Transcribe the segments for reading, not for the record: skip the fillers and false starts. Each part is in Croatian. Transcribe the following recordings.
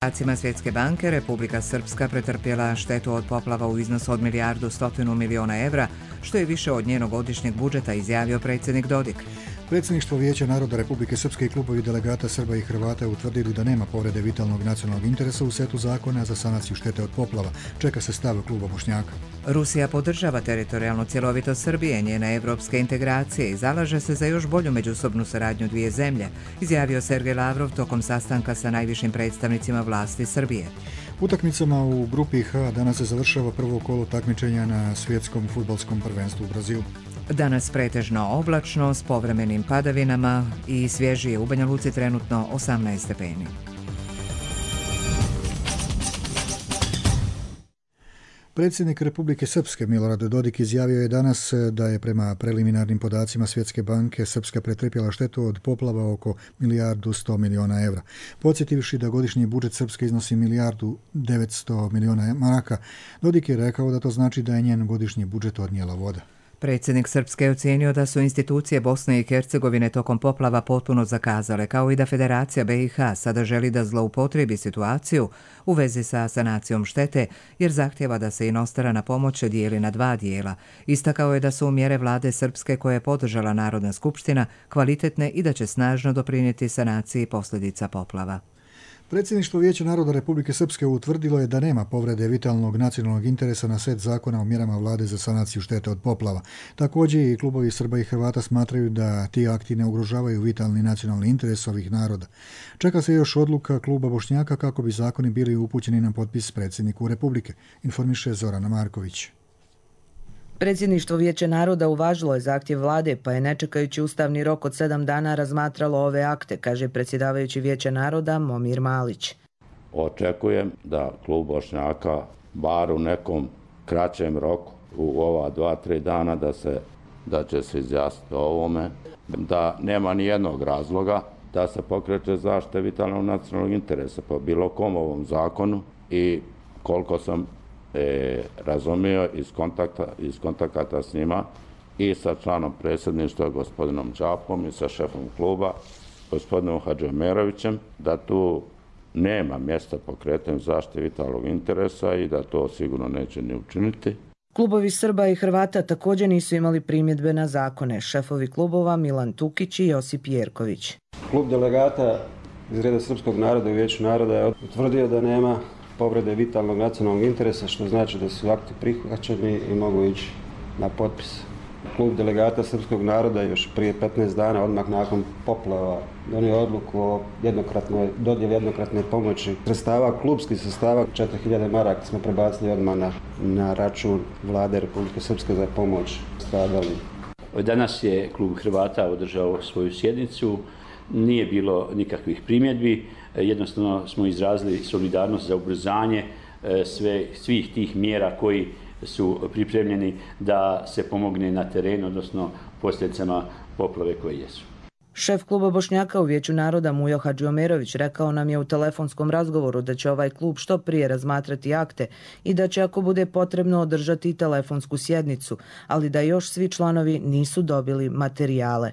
Podacima Svjetske banke, Republika Srpska pretrpjela štetu od poplava u iznosu od 1,1 milijardu evra, što je više od njenog godišnjeg budžeta, izjavio predsjednik Dodik. Predsjedništvo Vijeća naroda Republike Srpske i klubovi delegata Srba i Hrvata utvrdili da nema povrede vitalnog nacionalnog interesa u setu zakona za sanaciju štete od poplava. Čeka se stav kluba Bošnjaka. Rusija podržava teritorijalnu cjelovitost Srbije, njene evropske integracije i zalaže se za još bolju međusobnu saradnju dvije zemlje, izjavio Sergej Lavrov tokom sastanka sa najvišim predstavnicima vlasti Srbije. Utakmicama u grupi H danas se završava prvo kolo takmičenja na svjetskom fudbalskom prvenstvu u Brazilu. Danas pretežno oblačno s povremenim padavinama i svježije u Banja Luci trenutno 18 stepeni. Predsjednik Republike Srpske Milorad Dodik izjavio je danas da je prema preliminarnim podacima Svjetske banke Srpska pretrpjela štetu od poplava oko 1,1 evra. Podsjetivši da godišnji budžet Srpske iznosi 1,9 maraka, Dodik je rekao da to znači da je njen godišnji budžet odnijela voda. Predsjednik Srpske je ocijenio da su institucije Bosne i Hercegovine tokom poplava potpuno zakazale, kao i da Federacija BiH sada želi da zloupotrijebi situaciju u vezi sa sanacijom štete, jer zahtjeva da se inostrana pomoć dijeli na dva dijela. Istakao je da su mjere vlade Srpske koje je podržala Narodna skupština kvalitetne i da će snažno doprinijeti sanaciji posljedica poplava. Predsjedništvo Vijeća naroda Republike Srpske utvrdilo je da nema povrede vitalnog nacionalnog interesa na set zakona o mjerama vlade za sanaciju štete od poplava. Također i klubovi Srba i Hrvata smatraju da ti akti ne ugrožavaju vitalni nacionalni interes ovih naroda. Čeka se još odluka kluba Bošnjaka kako bi zakoni bili upućeni na potpis predsjedniku Republike, informiše Zorana Marković. Predsjedništvo Vijeća naroda uvažilo je zahtjev vlade, pa je ne čekajući ustavni rok od 7 dana razmatralo ove akte, kaže predsjedavajući Vijeća naroda Momir Malić. Očekujem da klub Bošnjaka bar u nekom kraćem roku, u ova 2-3 dana, da će se izjasniti o ovome, da nema ni jednog razloga da se pokreće zaštita vitalnog nacionalnog interesa po bilo kom ovom zakonu i koliko sam razumio iz kontakata s njima i sa članom predsjedništva gospodinom Đapom i sa šefom kluba gospodinom Hadžiomerovićem, da tu nema mjesta pokretanju zaštite vitalnog interesa i da to sigurno neće ni učiniti. Klubovi Srba i Hrvata također nisu imali primjedbe na zakone. Šefovi klubova Milan Tukić i Josip Jerković. Klub delegata iz reda Srpskog naroda i Vijeću naroda je utvrdio da nema povrede vitalnog nacionalnog interesa, što znači da su akti prihvaćeni i mogu ići na potpis. Klub delegata Srpskog naroda još prije 15 dana, odmah nakon poplava, donio odluku o dodjeli jednokratne pomoći sredstava, klubskih sredstava, 4000 maraka smo prebacili odmah na račun vlade Republike Srpske za pomoć stradali. Danas je klub Hrvata održao svoju sjednicu, nije bilo nikakvih primjedbi, jednostavno smo izrazili solidarnost za ubrzanje svih tih mjera koji su pripremljeni da se pomogne na terenu, odnosno posljedicama poplave koje jesu. Šef kluba Bošnjaka u Vijeću naroda Mujo Hadžiomerović rekao nam je u telefonskom razgovoru da će ovaj klub što prije razmatrati akte i da će ako bude potrebno održati telefonsku sjednicu, ali da još svi članovi nisu dobili materijale.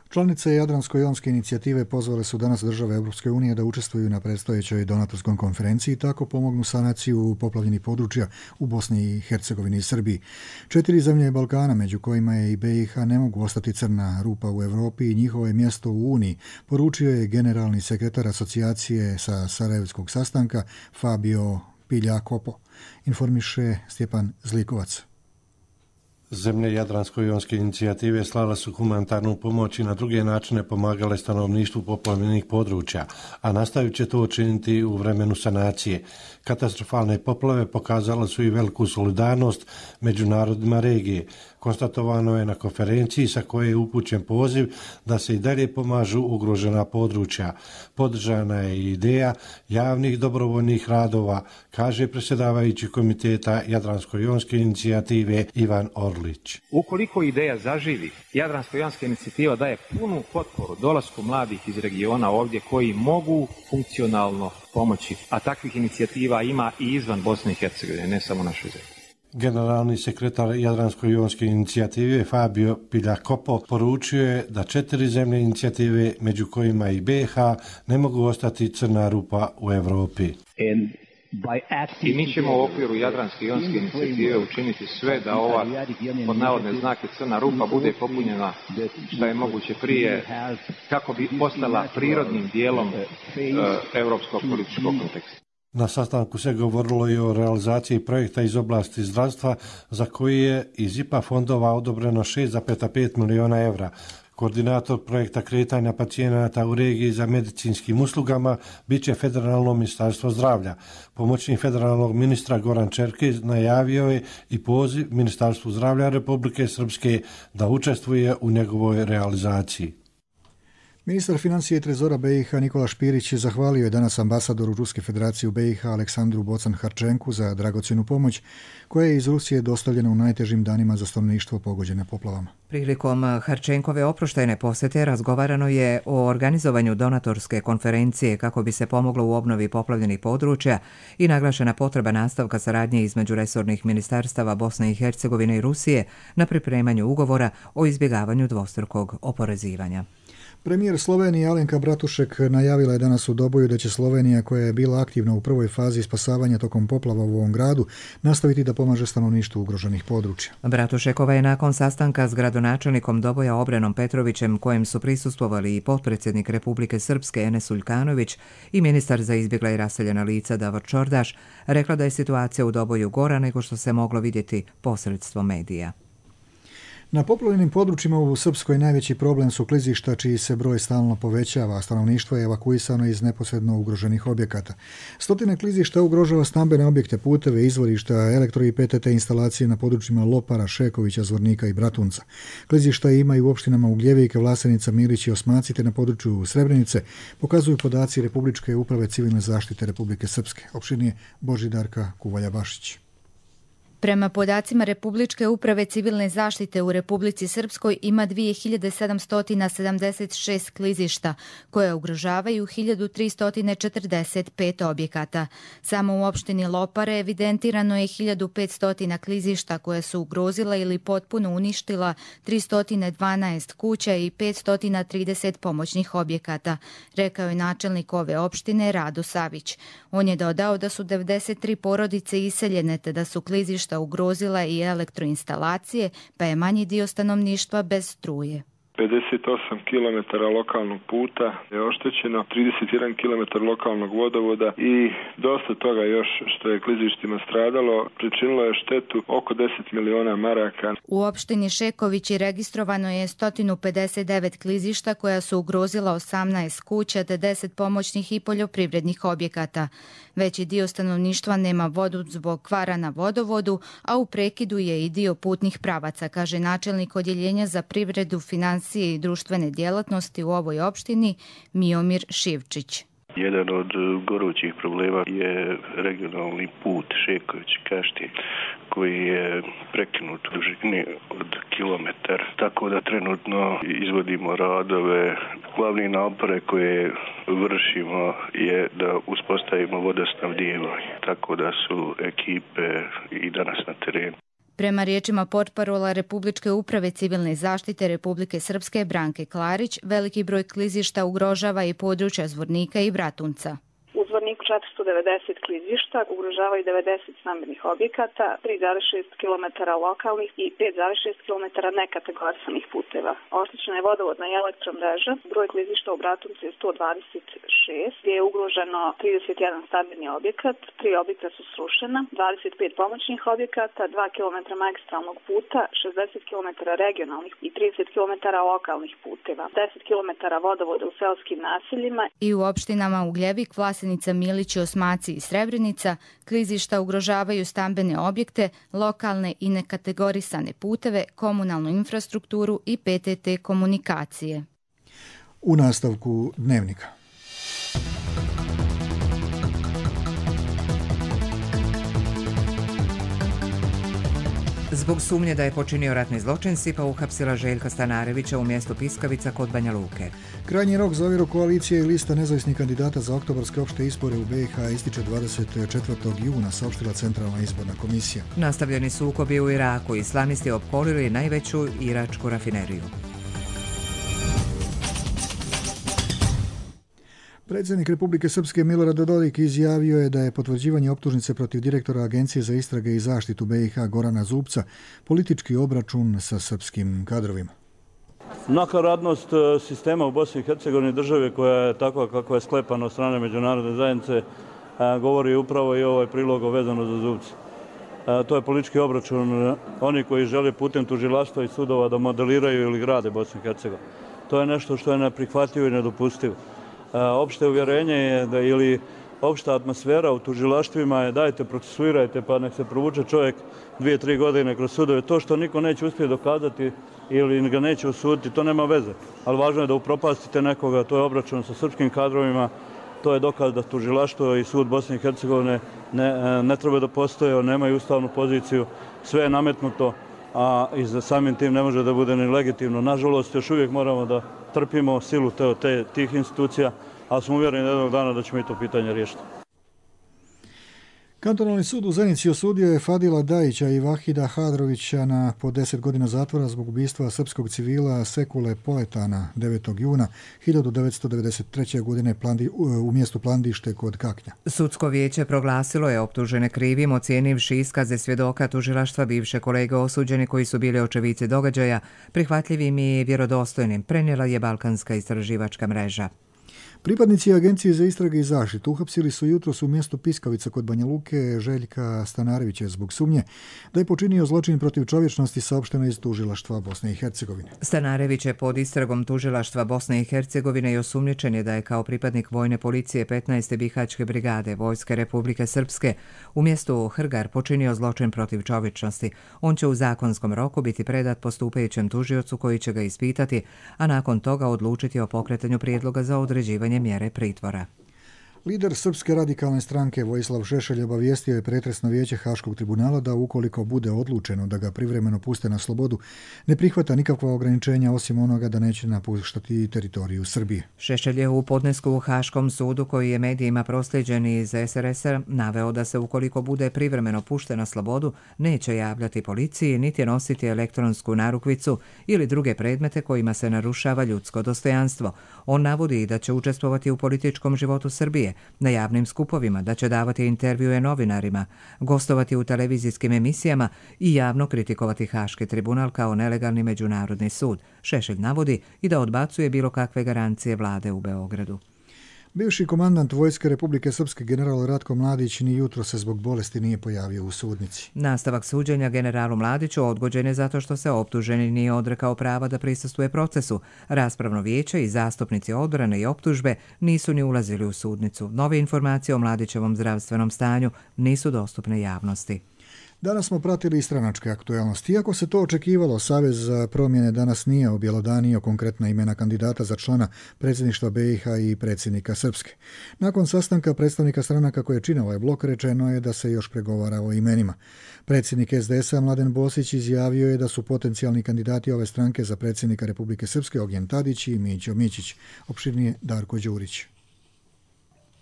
Članice Jadransko-jonske inicijative pozvale su danas države Europske unije da učestvuju na predstojećoj donatorskoj konferenciji i tako pomognu sanaciju poplavljenih područja u Bosni i Hercegovini i Srbiji. 4 zemlje Balkana, među kojima je i BiH, ne mogu ostati crna rupa u Europi i njihovo je mjesto u Uniji, poručio je generalni sekretar asocijacije sa Sarajevskog sastanka Fabio Piljakopo, informiše Stjepan Zlikovac. Zemlje Jadransko-jonske inicijative slale su humanitarnu pomoć i na druge načine pomagale stanovništvu poplavljenih područja, a nastavit će to učiniti u vremenu sanacije. Katastrofalne poplave pokazale su i veliku solidarnost među narodima regije. Konstatovano je na konferenciji sa koje je upućen poziv da se i dalje pomažu ugrožena područja. Podržana je ideja javnih dobrovoljnih radova, kaže predsjedavajući komiteta Jadransko-jonske inicijative Ivan Orlić. Ukoliko ideja zaživi, Jadransko-jonska inicijativa daje punu potporu dolasku mladih iz regiona ovdje koji mogu funkcionalno pomoći, a takvih inicijativa ima i izvan Bosne i Hercegovine, ne samo našoj zemlji. Generalni sekretar Jadransko-jonske inicijative Fabio Piljakopo poručio je da 4 zemlje inicijative, među kojima i BiH, ne mogu ostati crna rupa u Europi. I mi ćemo u okviru Jadransko-jonske inicijative učiniti sve da ova pod navodne znake crna rupa bude popunjena što je moguće prije, kako bi postala prirodnim dijelom europskog političkog konteksta. Na sastanku se govorilo i o realizaciji projekta iz oblasti zdravstva za koji je iz IPA fondova odobreno 6,5 milijuna evra. Koordinator projekta kretanja pacijenata u regiji za medicinskim uslugama biće Federalno ministarstvo zdravlja. Pomoćnik federalnog ministra Goran Čerkez najavio je i poziv Ministarstvu zdravlja Republike Srpske da učestvuje u njegovoj realizaciji. Ministar financija i trezora BiH Nikola Špirić zahvalio je danas ambasadoru Ruske federacije u BiH Aleksandru Bocan-Harčenku za dragocjenu pomoć koja je iz Rusije dostavljena u najtežim danima za stanovništvo pogođene poplavama. Prilikom Harčenkove oproštajne posjete razgovarano je o organizovanju donatorske konferencije kako bi se pomoglo u obnovi poplavljenih područja i naglašena potreba nastavka saradnje između resornih ministarstava Bosne i Hercegovine i Rusije na pripremanju ugovora o izbjegavanju dvostrukog oporezivanja. Premijer Slovenije Alenka Bratušek najavila je danas u Doboju da će Slovenija, koja je bila aktivna u prvoj fazi spasavanja tokom poplava u ovom gradu, nastaviti da pomaže stanovništvu ugroženih područja. Bratušekova je nakon sastanka s gradonačelnikom Doboja Obrenom Petrovićem, kojem su prisustvovali i potpredsjednik Republike Srpske Enes Uljkanović i ministar za izbjegla i raseljena lica Davor Čordaš, rekla da je situacija u Doboju gora nego što se moglo vidjeti posredstvom medija. Na poplavljenim područjima u Srpskoj najveći problem su klizišta čiji se broj stalno povećava, a stanovništvo je evakuisano iz neposredno ugroženih objekata. Stotine klizišta ugrožava stambene objekte, puteve, izvorišta, elektro i PTT instalacije na područjima Lopara, Šekovića, Zvornika i Bratunca. Klizišta ima i u opštinama Ugljevika, Vlasenica, Milić i Osmaci te na području Srebrenice, pokazuju podaci Republičke uprave civilne zaštite Republike Srpske. Opširnije Božidarka Kuvalja-Bašić. Prema podacima Republičke uprave civilne zaštite u Republici Srpskoj ima 2776 klizišta koje ugrožavaju 1345 objekata. Samo u opštini Lopare evidentirano je 1500 klizišta koje su ugrozila ili potpuno uništila 312 kuća i 530 pomoćnih objekata, rekao je načelnik ove opštine Rado Savić. On je dodao da su 93 porodice iseljene te da su klizišta ugrozila i elektroinstalacije, pa je manji dio stanovništva bez struje. 58 km lokalnog puta je oštećeno, 31 km lokalnog vodovoda i dosta toga još što je klizištima stradalo, pričinilo je štetu oko 10 miliona maraka. U opštini Šekovići registrovano je 159 klizišta koja su ugrozila 18 kuća te 10 pomoćnih i poljoprivrednih objekata. Veći dio stanovništva nema vodu zbog kvara na vodovodu, a u prekidu je i dio putnih pravaca, kaže načelnik odjeljenja za privredu, financije i društvene djelatnosti u ovoj opštini Miomir Šivčić. Jedan od gorućih problema je regionalni put Šeković-Kaštin koji je prekinut u dužini od kilometar. Tako da trenutno izvodimo radove. Glavni napore koje vršimo je da uspostavimo vodosnabdijevanje. Tako da su ekipe i danas na terenu. Prema riječima portparola Republičke uprave civilne zaštite Republike Srpske Branke Klarić, veliki broj klizišta ugrožava i područja Zvornika i Bratunca. U Zvorniku 490 klizišta ugrožavaju 90 stambenih objekata, 3,6 km lokalnih i 5,6 km nekategorisanih puteva. Oštećena je vodovodna i elektromreža. Broj klizišta u Bratuncu je 126, gdje je ugroženo 31 stambeni objekat, 3 objekta su srušena, 25 pomoćnih objekata, 2 km magistralnog puta, 60 km regionalnih i 30 km lokalnih puteva, 10 km vodovoda u seoskim naseljima. I u opštinama Ugljevik, Vlasenica, Milić, Osmaci i Srebrenica klizišta ugrožavaju stambene objekte, lokalne i nekategorisane puteve, komunalnu infrastrukturu i PTT komunikacije. U nastavku Dnevnika. Zbog sumnje da je počinio ratni zločin, SIPA uhapsila Željka Stanarevića u mjestu Piskavica kod Banja Luke. Krajnji rok za ovjeru koalicije i lista nezavisnih kandidata za oktobarske opšte izbore u BiH ističe 24. juna, saopštila Centralna izborna komisija. Nastavljeni sukobi u Iraku, islamisti opkolili najveću iračku rafineriju. Predsjednik Republike Srpske Milorad Dodik izjavio je da je potvrđivanje optužnice protiv direktora Agencije za istrage i zaštitu BiH Gorana Zubca politički obračun sa srpskim kadrovima. Nakaradnost sistema u Bosni i Hercegovini, države koja je takva kakva je sklepana od strane međunarodne zajednice, govori upravo i ovaj prilog vezano za Zubca. To je politički obračun oni koji žele putem tužilaštva i sudova da modeliraju ili grade Bosnu i Hercegovinu. To je nešto što je neprihvatljivo i nedopustivo. Opšte uvjerenje je da ili opšta atmosfera u tužilaštvima je dajte procesuirajte pa nek se provuče čovjek 2-3 godine kroz sudove. To što niko neće uspjeti dokazati ili ga neće osuditi, to nema veze. Ali važno je da upropastite nekoga, to je obračun sa srpskim kadrovima, to je dokaz da tužilaštvo i sud Bosne i Hercegovine ne treba da postoje, nemaju ustavnu poziciju, sve je nametnuto, a i za samim tim ne može da bude ni legitimno. Nažalost, još uvijek moramo da trpimo silu tih institucija, ali smo uvjereni jednog dana da ćemo i to pitanje riješiti. Kantonalni sud u Zenici osudio je Fadila Dajića i Vahida Hadrovića na po 10 godina zatvora zbog ubistva srpskog civila Sekule Poletana 9. juna 1993. godine u mjestu Plandište kod Kaknja. Sudsko vijeće proglasilo je optužene krivim, ocijenivši iskaze svjedoka tužilaštva bivše kolege osuđeni koji su bili očevici događaja, prihvatljivim i vjerodostojnim, prenijela je Balkanska istraživačka mreža. Pripadnici Agencije za istrage i zaštitu uhapsili su jutros u mjestu Piskavica kod Banja Luke Željka Stanarevića zbog sumnje da je počinio zločin protiv čovječnosti, saopšteno iz tužilaštva Bosne i Hercegovine. Stanarević je pod istragom tužilaštva Bosne i Hercegovine i osumnjičen je da je kao pripadnik vojne policije 15. Bihaćke brigade Vojske Republike Srpske u mjestu Hrgar počinio zločin protiv čovječnosti. On će u zakonskom roku biti predat postupajućem tužiocu koji će ga ispitati, a nakon toga odlučiti o pokretanju prijedloga za određivanje mjere pritvora. Lider Srpske radikalne stranke Vojislav Šešelj obavijestio je pretresno vijeće Haškog tribunala da ukoliko bude odlučeno da ga privremeno puste na slobodu, ne prihvata nikakva ograničenja osim onoga da neće napuštati teritoriju Srbije. Šešelj je u podnesku u Haškom sudu, koji je medijima proslijeđen iz SRS-a, naveo da se ukoliko bude privremeno pušten na slobodu neće javljati policiji niti nositi elektronsku narukvicu ili druge predmete kojima se narušava ljudsko dostojanstvo. On navodi da će učestvovati u političkom životu Srbije, na javnim skupovima, da će davati intervjue novinarima, gostovati u televizijskim emisijama i javno kritikovati Haški tribunal kao nelegalni međunarodni sud. Šešelj navodi i da odbacuje bilo kakve garancije vlade u Beogradu. Bivši komandant Vojske Republike Srpske general Ratko Mladić ni jutro se zbog bolesti nije pojavio u sudnici. Nastavak suđenja generalu Mladiću odgođen je zato što se optuženi nije odrekao prava da prisustvuje procesu. Raspravno vijeće i zastupnici odbrane i optužbe nisu ni ulazili u sudnicu. Nove informacije o Mladićevom zdravstvenom stanju nisu dostupne javnosti. Danas smo pratili i stranačke aktualnosti. Iako se to očekivalo, Savez za promjene danas nije objelodanio konkretna imena kandidata za člana predsjedništva BiH i predsjednika Srpske. Nakon sastanka predstavnika stranaka koje čine ovaj blok, rečeno je da se još pregovara o imenima. Predsjednik SDS-a Mladen Bosić izjavio je da su potencijalni kandidati ove stranke za predsjednika Republike Srpske Ognjen Tadić i Mićo Mićić. Opširnije Darko Đurić.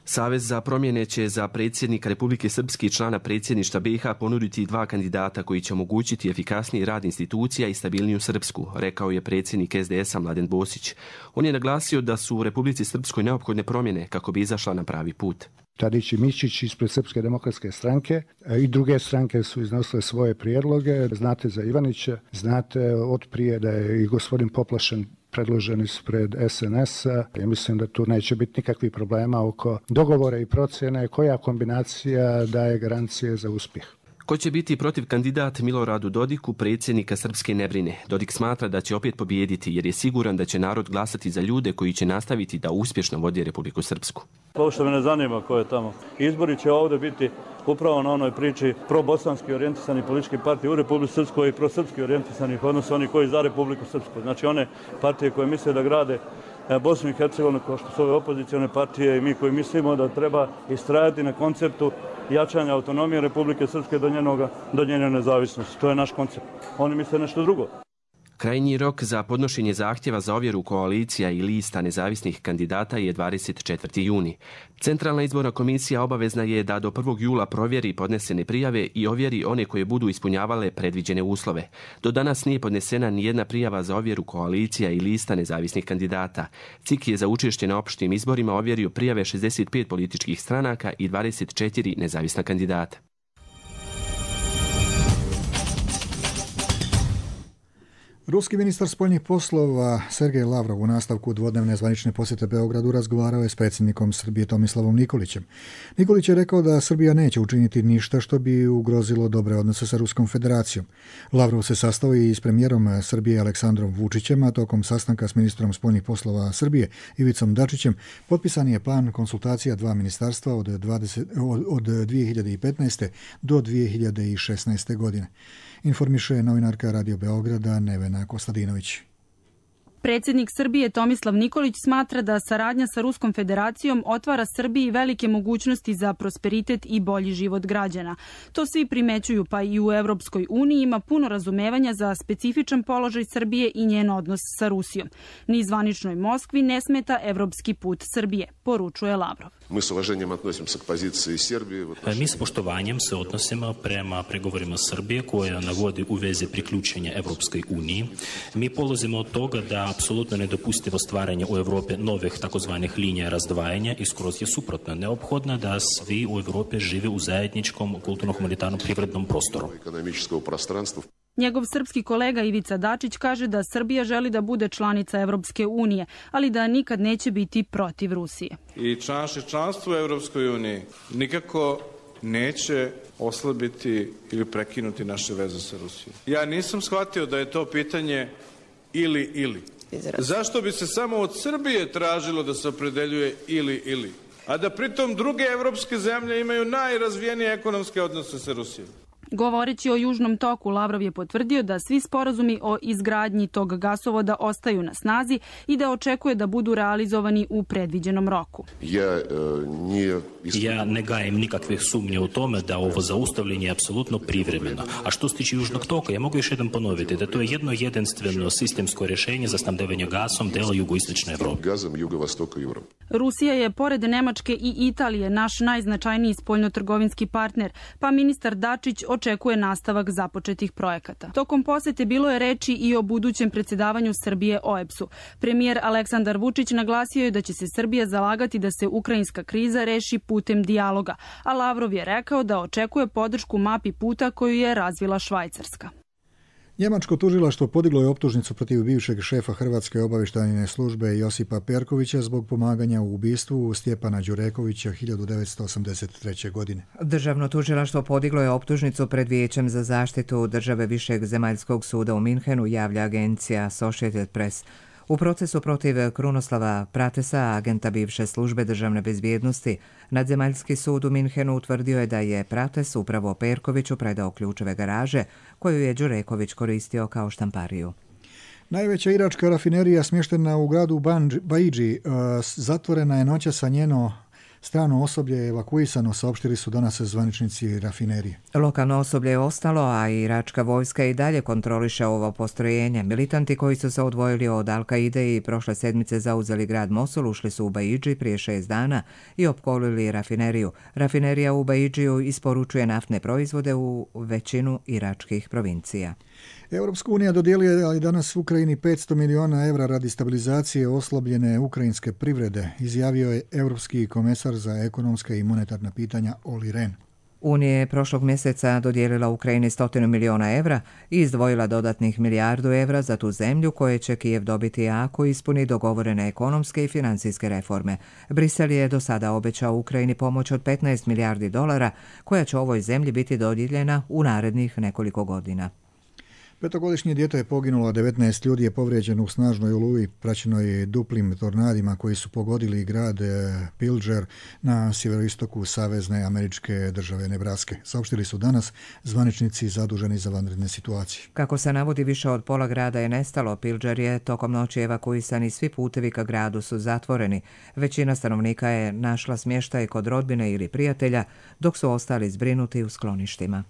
Savez za promjene će za predsjednika Republike Srpske i člana predsjedništva BiH ponuditi 2 kandidata koji će omogućiti efikasniji rad institucija i stabilniju Srpsku, rekao je predsjednik SDS-a Mladen Bosić. On je naglasio da su u Republici Srpskoj neophodne promjene kako bi izašla na pravi put. Tadić i Mićić ispred Srpske demokratske stranke i druge stranke su iznosile svoje prijedloge. Znate za Ivanića, znate od prije da je i gospodin Poplašen predložen ispred SNS-a. Ja mislim da tu neće biti nikakvih problema oko dogovora i procjene koja kombinacija daje garancije za uspjeh. Ko će biti protiv kandidat Miloradu Dodiku, predsjednika Srpske ne brine. Dodik smatra da će opet pobijediti jer je siguran da će narod glasati za ljude koji će nastaviti da uspješno vodi Republiku Srpsku. Ovo što me ne zanima ko je tamo. Izbori će ovdje biti upravo na onoj priči pro-bosanski orijentisani politički partije u Republiku Srpskoj i pro-srpski orijentisanih, odnosno oni koji za Republiku Srpsku. Znači one partije koje misle da grade Bosnu i Hercegovinu kao što su ove opozicione partije i mi koji mislimo da treba istrajati na konceptu jačanja autonomije Republike Srpske do njene nezavisnosti. To je naš koncept. Oni misle nešto drugo. Krajnji rok za podnošenje zahtjeva za ovjeru koalicija i lista nezavisnih kandidata je 24. juni. Centralna izborna komisija obavezna je da do 1. jula provjeri podnesene prijave i ovjeri one koje budu ispunjavale predviđene uslove. Do danas nije podnesena nijedna prijava za ovjeru koalicija i lista nezavisnih kandidata. CIK je za učešće na opštim izborima ovjerio prijave 65 političkih stranaka i 24 nezavisna kandidata. Ruski ministar spoljnih poslova Sergej Lavrov u nastavku dvodnevne zvanične posjete Beogradu razgovarao je s predsjednikom Srbije Tomislavom Nikolićem. Nikolić je rekao da Srbija neće učiniti ništa što bi ugrozilo dobre odnose sa Ruskom federacijom. Lavrov se sastao i s premijerom Srbije Aleksandrom Vučićem, a tokom sastanka s ministrom spoljnih poslova Srbije Ivicom Dačićem potpisan je plan konsultacija dva ministarstva od 2015. do 2016. godine. Informiše novinarka Radio Beograda Nevena Kostadinović. Predsjednik Srbije Tomislav Nikolić smatra da saradnja sa Ruskom federacijom otvara Srbiji velike mogućnosti za prosperitet i bolji život građana. To svi primećuju, pa i u Evropskoj uniji ima puno razumevanja za specifičan položaj Srbije i njen odnos sa Rusijom. Ni zvaničnoj Moskvi ne smeta evropski put Srbije, poručuje Lavrov. Mi s poštovanjem se odnosimo prema pregovorima Srbije koja navodi u vezi priključenja Evropskoj uniji. Mi polazimo od toga da apsolutno nedopustivo stvaranje u Evropi novih takozvanih linija razdvajanja i skroz je suprotno. Neophodno da svi u Evropi žive u zajedničkom kulturno-humanitarnom privrednom prostoru. Njegov srpski kolega Ivica Dačić kaže da Srbija želi da bude članica Evropske unije, ali da nikad neće biti protiv Rusije. I članstvo u Evropskoj uniji nikako neće oslabiti ili prekinuti naše veze sa Rusijom. Ja nisam shvatio da je to pitanje ili. Zašto bi se samo od Srbije tražilo da se opredeljuje ili? A da pritom druge evropske zemlje imaju najrazvijenije ekonomske odnose sa Rusijom. Govoreći o Južnom toku, Lavrov je potvrdio da svi sporazumi o izgradnji tog gasovoda ostaju na snazi i da očekuje da budu realizovani u predviđenom roku. Ja ne gajem nikakvih sumnje u tome da ovo zaustavljanje je apsolutno privremeno. A što se tiče Južnog toka, ja mogu još jedan ponoviti da to je jedno jedinstveno sistemsko rješenje za snabdevanje gasom dela jugoistočne Evrope. Rusija je, pored Nemačke i Italije, naš najznačajniji spoljnotrgovinski partner, pa ministar Dačić očekuje nastavak započetih projekata. Tokom posete bilo je reči i o budućem predsjedavanju Srbije OEBS-u. Premijer Aleksandar Vučić naglasio je da će se Srbija zalagati da se ukrajinska kriza reši putem dijaloga, a Lavrov je rekao da očekuje podršku mapi puta koju je razvila Švajcarska. Njemačko tužilaštvo podiglo je optužnicu protiv bivšeg šefa Hrvatske obavještajne službe Josipa Perkovića zbog pomaganja u ubistvu Stjepana Đurekovića 1983. godine. Državno tužilaštvo podiglo je optužnicu pred Vijećem za zaštitu države Višeg zemaljskog suda u Minhenu, javlja agencija Associated Press. U procesu protiv Krunoslava Pratesa, agenta bivše službe državne bezbjednosti, Nadzemaljski sud u Minhenu utvrdio je da je Prates upravo Perkoviću predao ključeve garaže koju je Đureković koristio kao štampariju. Najveća iračka rafinerija smještena u gradu Baidži zatvorena je noćas, a njeno strano osoblje je evakuisano, saopštili su danas zvaničnici rafinerije. Lokalno osoblje je ostalo, a iračka vojska i dalje kontroliše ovo postrojenje. Militanti koji su se odvojili od Al-Kaide i prošle sedmice zauzeli grad Mosul ušli su u Baidži prije 6 dana i opkolili rafineriju. Rafinerija u Baidžiju isporučuje naftne proizvode u većinu iračkih provincija. Europska unija dodijelila je danas Ukrajini 500 milijuna evra radi stabilizacije oslabljene ukrajinske privrede, izjavio je Europski komesar za ekonomska i monetarna pitanja Olli Rehn. Unija je prošlog mjeseca dodijelila Ukrajini 100 milijuna evra i izdvojila dodatnih milijardu evra za tu zemlju koje će Kijev dobiti ako ispuni dogovorene ekonomske i financijske reforme. Brisel je do sada obećao Ukrajini pomoć od 15 milijardi dolara koja će ovoj zemlji biti dodijeljena u narednih nekoliko godina. Petogodišnje dijete je poginulo, a 19 ljudi je povrijeđeno u snažnoj oluji praćenoj duplim tornadima koji su pogodili grad Pilger na sjeveroistoku savezne američke države Nebraske. Saopštili su danas zvaničnici zaduženi za vanredne situacije. Kako se navodi, više od pola grada je nestalo. Pilger je tokom noći evakuisan i svi putevi ka gradu su zatvoreni. Većina stanovnika je našla smještaj kod rodbine ili prijatelja, dok su ostali zbrinuti u skloništima.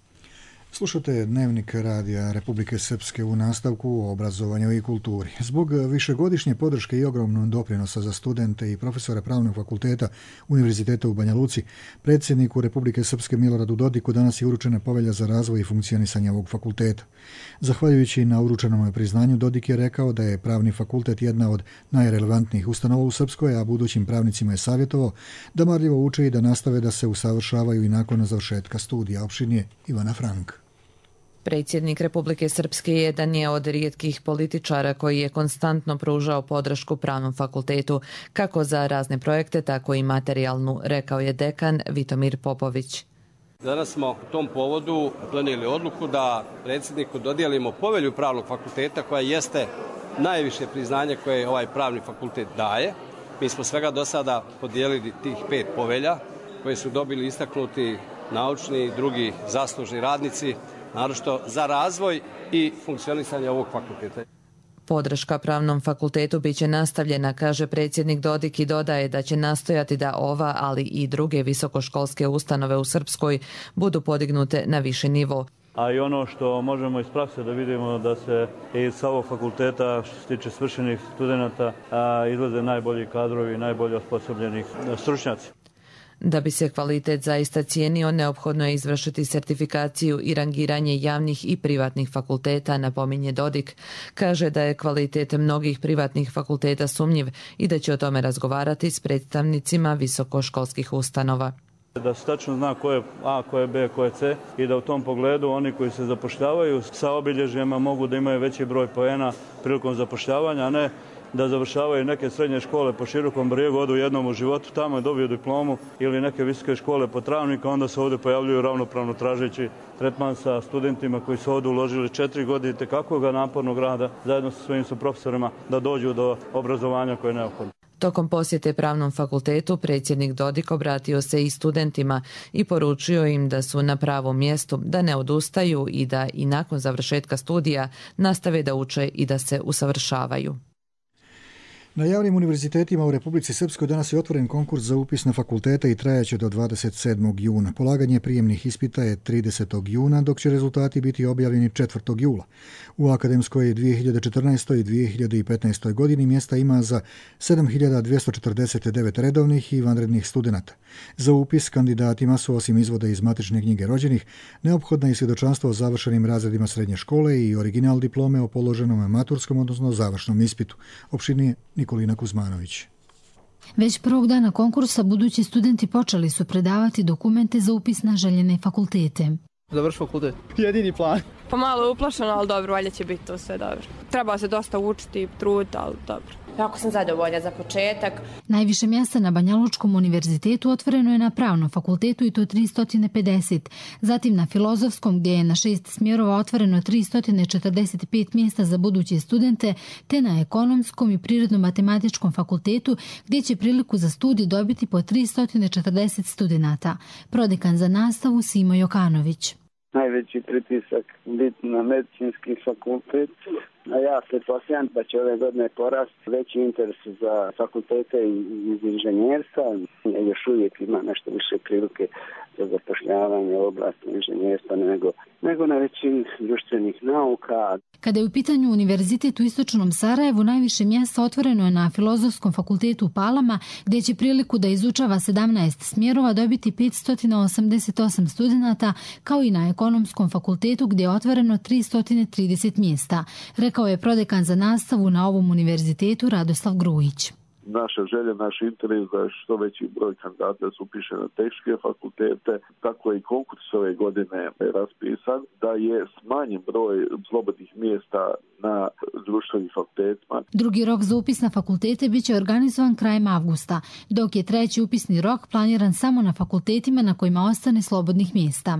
Slušate Dnevnik radija Republike Srpske u nastavku o obrazovanju i kulturi. Zbog višegodišnje podrške i ogromnog doprinosa za studente i profesore Pravnog fakulteta Univerziteta u Banja Luci, predsjedniku Republike Srpske Miloradu Dodiku danas je uručena povelja za razvoj i funkcionisanje ovog fakulteta. Zahvaljujući na uručenom priznanju, Dodik je rekao da je Pravni fakultet jedna od najrelevantnijih ustanova u Srpskoj, a budućim pravnicima je savjetovao da marljivo uče i da nastave da se usavršavaju i nakon završetka studija. Opštinje Ivana Frank. Predsjednik Republike Srpske jedan je od rijetkih političara koji je konstantno pružao podršku Pravnom fakultetu, kako za razne projekte, tako i materijalnu, rekao je dekan Vitomir Popović. Danas smo u tom povodu donijeli odluku da predsjedniku dodijelimo povelju Pravnog fakulteta, koja jeste najviše priznanje koje ovaj Pravni fakultet daje. Mi smo svega do sada podijelili tih 5 povelja koje su dobili istaknuti naučni i drugi zaslužni radnici, naročito za razvoj i funkcionisanje ovog fakulteta. Podrška Pravnom fakultetu biće nastavljena, kaže predsjednik Dodik, i dodaje da će nastojati da ova, ali i druge visokoškolske ustanove u Srpskoj budu podignute na viši nivo. A i ono što možemo iz prakse da vidimo da se iz ovog fakulteta, što se tiče svršenih studenata, izlaze najbolji kadrovi, najbolje osposobljeni stručnjaci. Da bi se kvalitet zaista cijenio, neophodno je izvršiti sertifikaciju i rangiranje javnih i privatnih fakulteta, napominje Dodik. Kaže da je kvalitet mnogih privatnih fakulteta sumnjiv i da će o tome razgovarati s predstavnicima visokoškolskih ustanova. Da se tačno zna ko je A, ko je B, ko je C i da u tom pogledu oni koji se zapošljavaju sa obilježjima mogu da imaju veći broj poena prilikom zapošljavanja, a ne da završavaju neke srednje škole po Širokom Brijegu, odu jednom u životu, tamo je dobiju diplomu, ili neke visoke škole po Travniku, onda se ovdje pojavljuju ravnopravno tražeći tretman sa studentima koji su ovdje uložili 4 godine tekakvog napornog rada zajedno sa svojim profesorima da dođu do obrazovanja koje je neophodno. Tokom posjete Pravnom fakultetu predsjednik Dodik obratio se i studentima i poručio im da su na pravom mjestu, da ne odustaju i da i nakon završetka studija nastave da uče i da se usavršavaju. Na javnim univerzitetima u Republici Srpskoj danas je otvoren konkurs za upis na fakultete i trajaće do 27. juna. Polaganje prijemnih ispita je 30. juna, dok će rezultati biti objavljeni 4. jula. U akademskoj 2014. i 2015. godini mjesta ima za 7.249 redovnih i vanrednih studenata. Za upis kandidatima su, osim izvoda iz matične knjige rođenih, neophodna i svjedočanstvo o završenim razredima srednje škole i original diplome o položenom maturskom, odnosno završnom ispitu. Opštinije Nikolina Kuzmanović. Već prvog dana konkursa budući studenti počeli su predavati dokumente za upis na željene fakultete. Završi fakultet. Jedini plan. Pa malo je uplašeno, ali dobro, valjda će biti to sve dobro. Treba se dosta učiti, truditi, ali dobro. Jako sam zadovoljna za početak. Najviše mjesta na Banja Lučkom univerzitetu otvoreno je na Pravnom fakultetu i to 350. Zatim na Filozofskom, gdje je na 6 smjerova otvoreno 345 mjesta za buduće studente, te na Ekonomskom i Prirodno-matematičkom fakultetu, gdje će priliku za studij dobiti po 340 studenata. Prodekan za nastavu Simo Jokanović. Najveći pritisak biti na medicinski fakultet, a ja pretpostavljam da će ove godine porasti veći interes za fakultete iz inženjerstva. Još uvijek ima nešto više prilike za zapošljavanje u oblasti inženjerstva nego na većini društvenih nauka. Kada je u pitanju univerzitet u istočnom Sarajevu, najviše mjesta otvoreno je na Filozofskom fakultetu u Palama, gdje će priliku da izučava 17 smjerova dobiti 588 studenata, kao i na Ekonomskom fakultetu gdje je otvoreno 330 mjesta, rekao je prodekan za nastavu na ovom univerzitetu Radoslav Grujić. Naša želja, naš interes da što veći broj kandidata se upiše na tehničke fakultete, tako i konkurs ove godine je raspisan, da je smanjen broj slobodnih mjesta na društvenim fakultetima. Drugi rok za upis na fakultete biće organizovan krajem avgusta, dok je treći upisni rok planiran samo na fakultetima na kojima ostane slobodnih mjesta.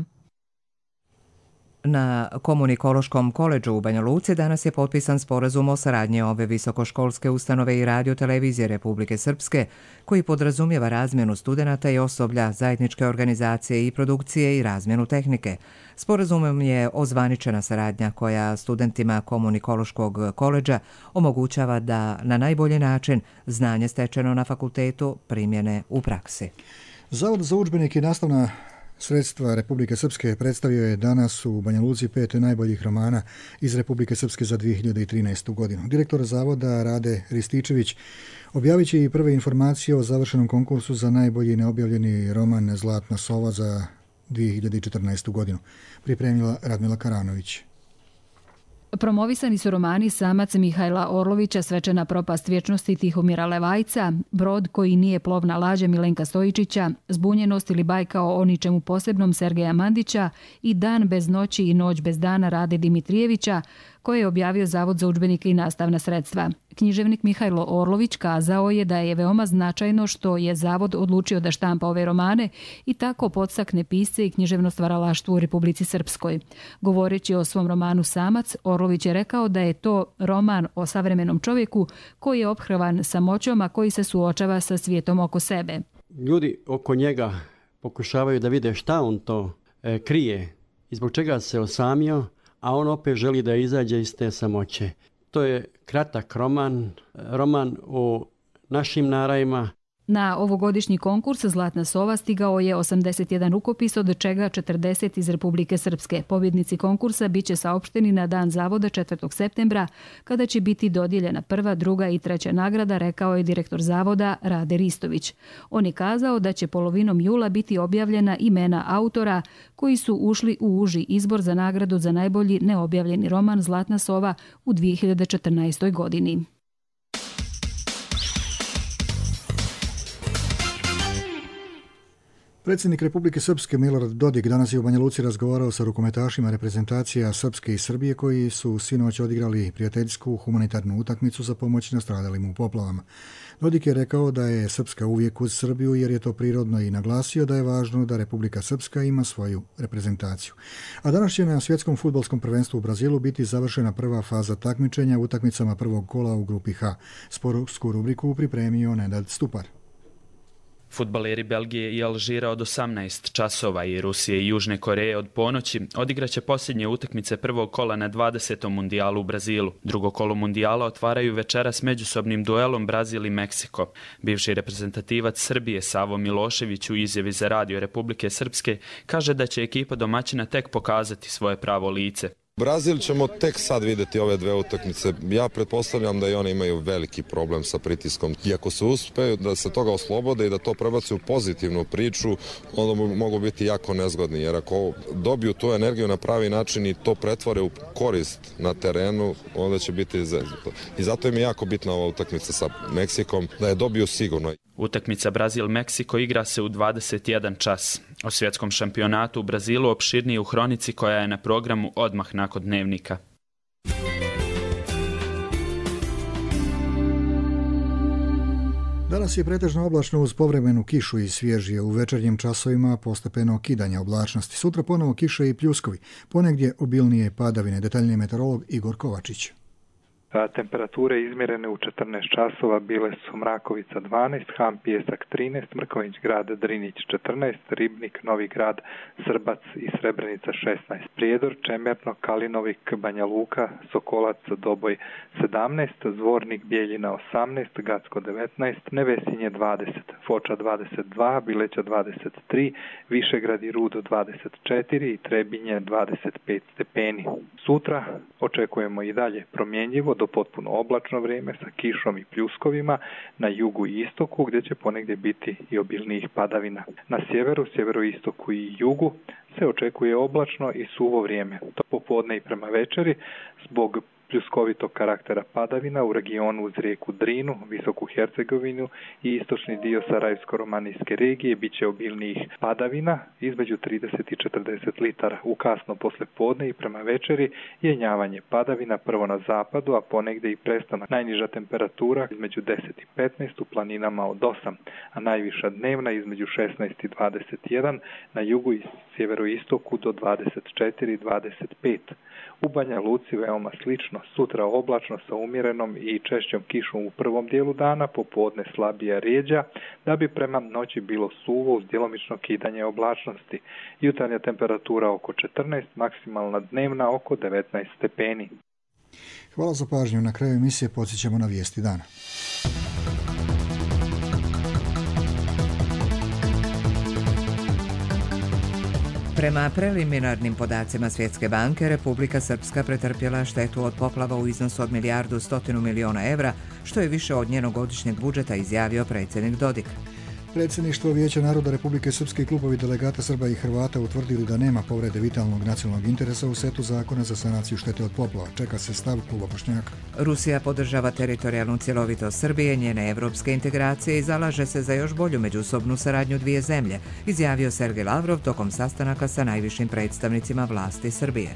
Na Komunikološkom koledžu u Banja Luci danas je potpisan sporazum o saradnji ove visokoškolske ustanove i radiotelevizije Republike Srpske, koji podrazumijeva razmjenu studenata i osoblja, zajedničke organizacije i produkcije i razmjenu tehnike. Sporazumom je ozvaničena saradnja koja studentima Komunikološkog koledža omogućava da na najbolji način znanje stečeno na fakultetu primjene u praksi. Zavod za udžbenike i nastavna sredstva Republike Srpske predstavio je danas u Banja Luci 5 najboljih romana iz Republike Srpske za 2013. godinu. Direktor zavoda Rade Rističević objavit će i prve informacije o završenom konkursu za najbolji neobjavljeni roman Zlatna sova za 2014. godinu. Pripremila Radmila Karanović. Promovisani su romani Samac Mihajla Orlovića, Svečana propast vječnosti Tihomira Levajca, Brod koji nije plovna lađa Milenka Stojičića, Zbunjenost ili bajka o ničemu posebnom Sergeja Mandića i Dan bez noći i Noć bez dana Rade Dimitrijevića, koje je objavio Zavod za udžbenike i nastavna sredstva. Književnik Mihajlo Orlović kazao je da je veoma značajno što je Zavod odlučio da štampa ove romane i tako podstakne pisce i književno stvaralaštvo u Republici Srpskoj. Govoreći o svom romanu Samac, Orlović je rekao da je to roman o savremenom čovjeku koji je ophrvan samoćom, a koji se suočava sa svijetom oko sebe. Ljudi oko njega pokušavaju da vide šta on to krije i zbog čega se osamio, a on opet želi da izađe iz te samoće. To je kratak roman o našim narajima. Na ovogodišnji konkurs Zlatna sova stigao je 81 rukopis, od čega 40 iz Republike Srpske. Pobjednici konkursa biće saopšteni na dan zavoda 4. septembra, kada će biti dodijeljena prva, druga i treća nagrada, rekao je direktor zavoda Rade Ristović. On je kazao da će polovinom jula biti objavljena imena autora koji su ušli u uži izbor za nagradu za najbolji neobjavljeni roman Zlatna sova u 2014. godini. Predsjednik Republike Srpske Milorad Dodik danas je u Banja Luci razgovarao sa rukometašima reprezentacija Srpske i Srbije koji su sinoć odigrali prijateljsku humanitarnu utakmicu za pomoć nastradalim u poplavama. Dodik je rekao da je Srpska uvijek uz Srbiju jer je to prirodno i naglasio da je važno da Republika Srpska ima svoju reprezentaciju. A danas će na svjetskom fudbalskom prvenstvu u Brazilu biti završena prva faza takmičenja utakmicama prvog kola u grupi H. Sportsku rubriku pripremio Nenad Stupar. Fudbaleri Belgije i Alžira od 18 časova i Rusije i Južne Koreje od ponoći odigraće posljednje utakmice prvog kola na 20. mundijalu u Brazilu. Drugo kolo mundijala otvaraju večeras međusobnim duelom Brazil i Meksiko. Bivši reprezentativac Srbije Savo Milošević u izjavi za Radio Republike Srpske kaže da će ekipa domaćina tek pokazati svoje pravo lice. Brazil ćemo tek sad vidjeti ove dve utakmice. Ja pretpostavljam da i oni imaju veliki problem sa pritiskom. I ako se uspeju da se toga oslobode i da to prebaci u pozitivnu priču, onda mogu biti jako nezgodni. Jer ako dobiju tu energiju na pravi način i to pretvore u korist na terenu, onda će biti zeznuto. I zato im je jako bitna ova utakmica sa Meksikom, da je dobiju sigurno. Utakmica Brazil-Meksiko igra se u 21 čas. O svjetskom šampionatu u Brazilu opširnije u hronici koja je na programu odmah nakon dnevnika. Danas je pretežno oblačno uz povremenu kišu i svježije, u večernjim časovima postepeno kidanje oblačnosti. Sutra ponovo kiše i pljuskovi, ponegdje obilnije padavine. Detaljniji meteorolog Igor Kovačić. Temperature izmjerene u 14 časova bile su Mrakovica 12, Ham Pijesak 13, Mrković grad Drinić 14, Ribnik, Novi grad, Srbac i Srebrenica 16, Prijedor, Čemerno, Kalinovik, Banja Luka, Sokolac, Doboj 17, Zvornik, Bijeljina 18, Gacko 19, Nevesinje 20, Foča 22, Bileća 23, Višegrad i Rudo 24 i Trebinje 25 stepeni. Sutra očekujemo i dalje promjenjivo do potpuno oblačno vrijeme sa kišom i pljuskovima na jugu i istoku gdje će ponegdje biti i obilnijih padavina. Na sjeveru, sjeveroistoku i jugu se očekuje oblačno i suvo vrijeme. To popodne i prema večeri zbog pljuskovitog karaktera padavina u regionu uz rijeku Drinu, Visoku Hercegovinu i istočni dio Sarajevsko-romanijske regije bit će obilnijih padavina između 30 i 40 litara. U kasno poslijepodne i prema večeri jenjavanje padavina prvo na zapadu, a ponegdje i prestanak. Najniža temperatura između 10 i 15 u planinama od 8, a najviša dnevna između 16 i 21, na jugu i sjeveroistoku do 24 i 25. U Banja Luci veoma slično, sutra oblačno sa umjerenom i češćom kišom u prvom dijelu dana, popodne slabija rijeđa, da bi prema noći bilo suvo uz djelomično kidanje oblačnosti. Jutarnja temperatura oko 14, maksimalna dnevna oko 19 stepeni. Hvala za pažnju. Na kraju emisije podsjećamo na vijesti dana. Prema preliminarnim podacima Svjetske banke, Republika Srpska pretrpjela štetu od poplava u iznosu od 1.100 miliona evra, što je više od njenog godišnjeg budžeta, izjavio predsjednik Dodik. Predsjedništvo Vijeća naroda Republike Srpske i klubovi delegata Srba i Hrvata utvrdili da nema povrede vitalnog nacionalnog interesa u setu zakona za sanaciju štete od poplava. Čeka se stav kluba Bošnjaka. Rusija podržava teritorijalnu cjelovitost Srbije, njene evropske integracije i zalaže se za još bolju međusobnu saradnju dvije zemlje, izjavio Sergej Lavrov tokom sastanaka sa najvišim predstavnicima vlasti Srbije.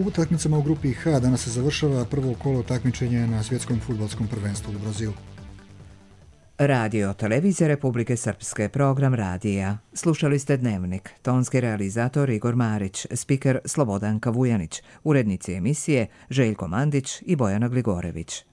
Utakmicama u grupi H danas se završava prvo kolo takmičenja na svjetskom fudbalskom prvenstvu u Brazilu. Radio Televizija Republike Srpske, program radija. Slušali ste Dnevnik, tonski realizator Igor Marić, spiker Slobodanka Vujanić, urednici emisije Željko Mandić i Bojana Gligorević.